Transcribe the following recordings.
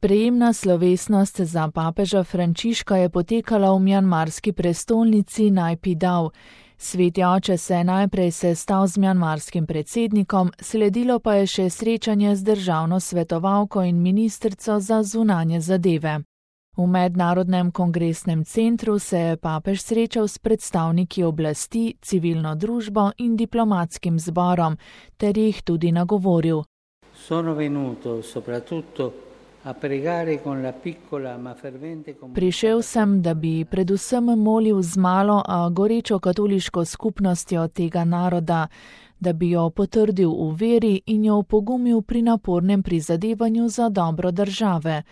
Sprejemna slovesnost za papeža Frančiška je potekala v mjanmarski prestolnici Naypyidaw. Sveti oče se je najprej sestal z mjanmarskim predsednikom, sledilo pa je še srečanje z državno svetovalko in ministrico za zunanje zadeve. V Mednarodnem kongresnem centru se je papež srečal s predstavniki oblasti, civilno družbo in diplomatskim zborom, ter jih tudi nagovoril. Prišel sem, da bi predvsem molil z malo, a gorečo katoliško skupnostjo tega naroda, da bi jo potrdil v veri in jo opogumil pri napornem prizadevanju za dobro države,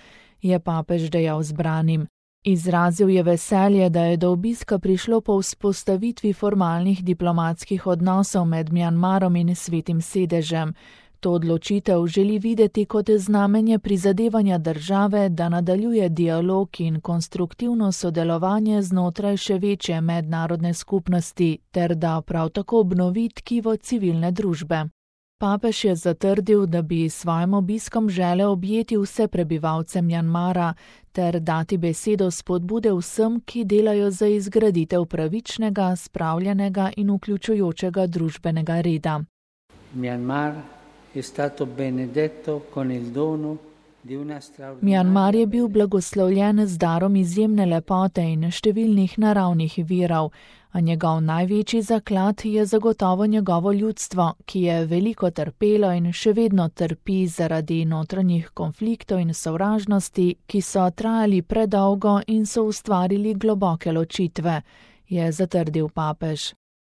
je papež dejal zbranim. Izrazil je veselje, da je do obiska prišlo po vzpostavitvi formalnih diplomatskih odnosov med Mjanmarom in Svetim sedežem. To odločitev želi videti kot znamenje prizadevanja države, da nadaljuje dialog in konstruktivno sodelovanje znotraj še večje mednarodne skupnosti, ter da prav tako obnovi tkivo civilne družbe. Papež je zatrdil, da bi s svojim obiskom želel objeti vse prebivalce Mjanmara ter dati besedo spodbude vsem, ki delajo za izgraditev pravičnega, spravljenega in vključujočega družbenega reda. Mjanmar je bil blagoslovljen z darom izjemne lepote in številnih naravnih virov, a njegov največji zaklad je zagotovo njegovo ljudstvo, ki je veliko trpelo in še vedno trpi zaradi notranjih konfliktov in sovražnosti, ki so trajali predolgo in so ustvarili globoke ločitve, je zatrdil papež.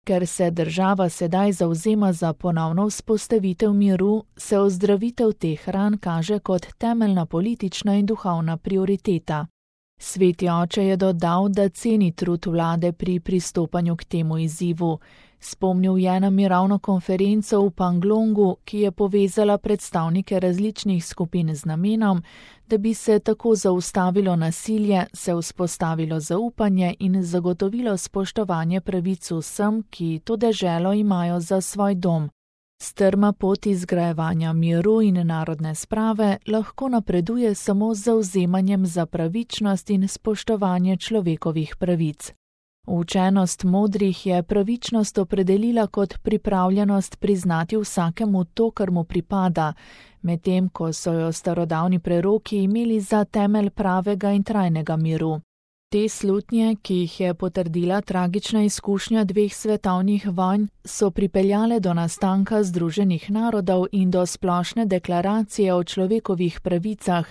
Ker se država sedaj zavzema za ponovno vzpostavitev miru, se ozdravitev teh ran kaže kot temeljna politična in duhovna prioriteta. Sveti oče je dodal, da ceni trud vlade pri pristopanju k temu izzivu. Spomnil je na mirovno konferenco v Panglongu, ki je povezala predstavnike različnih skupin z namenom, da bi se tako zaustavilo nasilje, se vzpostavilo zaupanje in zagotovilo spoštovanje pravic vsem, ki to deželo imajo za svoj dom. Strma pot izgrajevanja miru in narodne sprave lahko napreduje samo z zavzemanjem za pravičnost in spoštovanje človekovih pravic. Učenost modrih je pravičnost opredelila kot pripravljenost priznati vsakemu to, kar mu pripada, medtem ko so jo starodavni preroki imeli za temelj pravega in trajnega miru. Te slutnje, ki jih je potrdila tragična izkušnja dveh svetovnih vojn, so pripeljale do nastanka Združenih narodov in do splošne deklaracije o človekovih pravicah,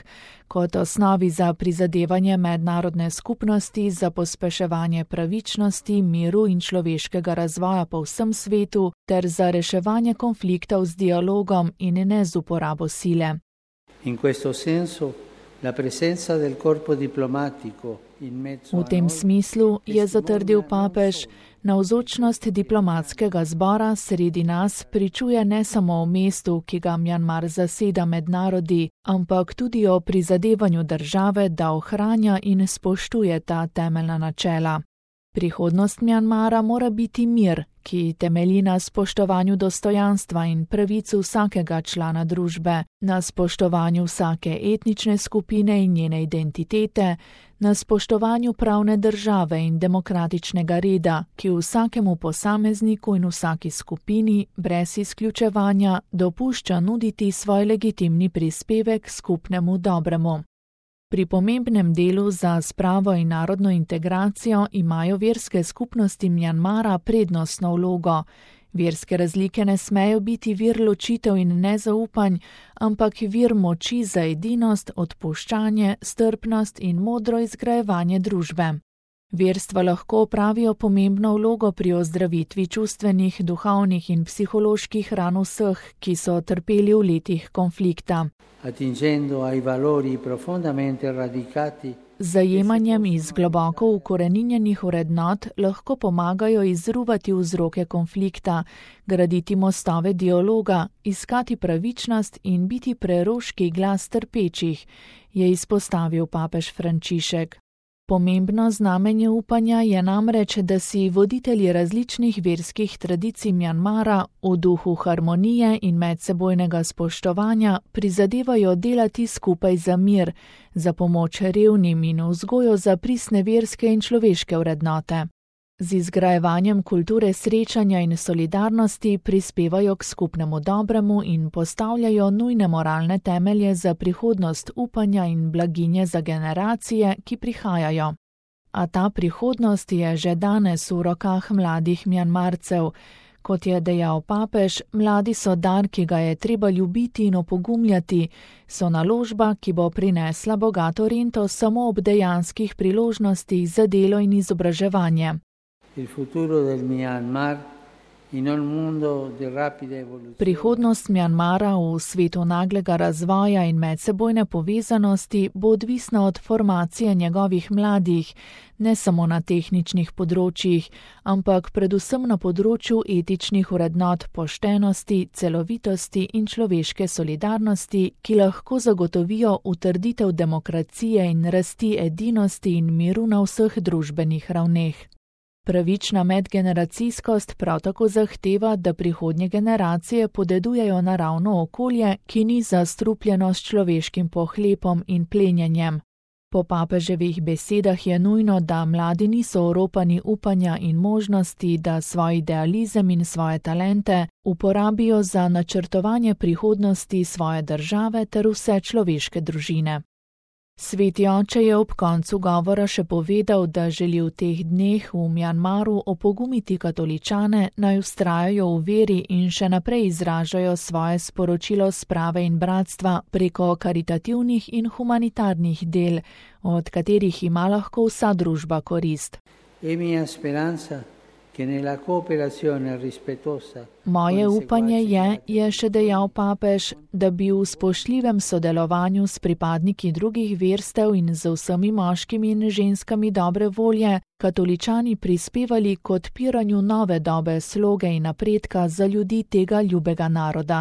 kot osnovi za prizadevanje mednarodne skupnosti za pospeševanje pravičnosti, miru in človeškega razvoja po vsem svetu ter za reševanje konfliktov z dialogom in ne z uporabo sile. V tem smislu, je zatrdil papež, navzočnost diplomatskega zbora sredi nas pričuje ne samo o mestu, ki ga Mjanmar zaseda med narodi, ampak tudi o prizadevanju države, da ohranja in spoštuje ta temeljna načela. Prihodnost Mjanmara mora biti mir, ki temelji na spoštovanju dostojanstva in pravic vsakega člana družbe, na spoštovanju vsake etnične skupine in njene identitete, na spoštovanju pravne države in demokratičnega reda, ki vsakemu posamezniku in vsaki skupini, brez izključevanja, dopušča nuditi svoj legitimni prispevek skupnemu dobremu. Pri pomembnem delu za spravo in narodno integracijo imajo verske skupnosti Mjanmara prednostno vlogo. Verske razlike ne smejo biti vir ločitev in nezaupanj, ampak vir moči za edinost, odpuščanje, strpnost in modro izgrajevanje družbe. Verstva lahko opravijo pomembno vlogo pri ozdravitvi čustvenih, duhovnih in psiholoških ran vseh, ki so trpeli v letih konflikta. Zajemanjem iz globoko ukoreninjenih vrednot lahko pomagajo izruvati vzroke konflikta, graditi mostove dialoga, iskati pravičnost in biti preroški glas trpečih, je izpostavil papež Frančišek. Pomembno znamenje upanja je namreč, da si voditelji različnih verskih tradicij Mjanmara v duhu harmonije in medsebojnega spoštovanja prizadevajo delati skupaj za mir, za pomoč revnim in vzgojo za pristne verske in človeške vrednote. Z izgrajevanjem kulture srečanja in solidarnosti prispevajo k skupnemu dobremu in postavljajo nujne moralne temelje za prihodnost upanja in blaginje za generacije, ki prihajajo. A ta prihodnost je že danes v rokah mladih Mjanmarcev. Kot je dejal papež, mladi so dar, ki ga je treba ljubiti in opogumljati, so naložba, ki bo prinesla bogato rento samo ob dejanskih priložnostih za delo in izobraževanje. Prihodnost Mjanmara v svetu naglega razvoja in medsebojne povezanosti bo odvisna od formacije njegovih mladih, ne samo na tehničnih področjih, ampak predvsem na področju etičnih vrednot poštenosti, celovitosti in človeške solidarnosti, ki lahko zagotovijo utrditev demokracije in rasti edinosti in miru na vseh družbenih ravneh. Pravična medgeneracijskost prav tako zahteva, da prihodnje generacije podedujejo naravno okolje, ki ni zastrupljeno s človeškim pohlepom in plenjenjem. Po papeževih besedah je nujno, da mladi niso oropani upanja in možnosti, da svoj idealizem in svoje talente uporabijo za načrtovanje prihodnosti svoje države ter vse človeške družine. Sveti oče je ob koncu govora še povedal, da želi v teh dneh v Mjanmaru opogumiti katoličane, naj vztrajajo v veri in še naprej izražajo svoje sporočilo sprave in bratstva preko karitativnih in humanitarnih del, od katerih ima lahko vsa družba korist. Moje upanje je še dejal papež, da bi v spoštljivem sodelovanju s pripadniki drugih verstev in z vsemi moškimi in ženskami dobre volje katoličani prispevali k odpiranju nove dobe sloge in napredka za ljudi tega ljubega naroda.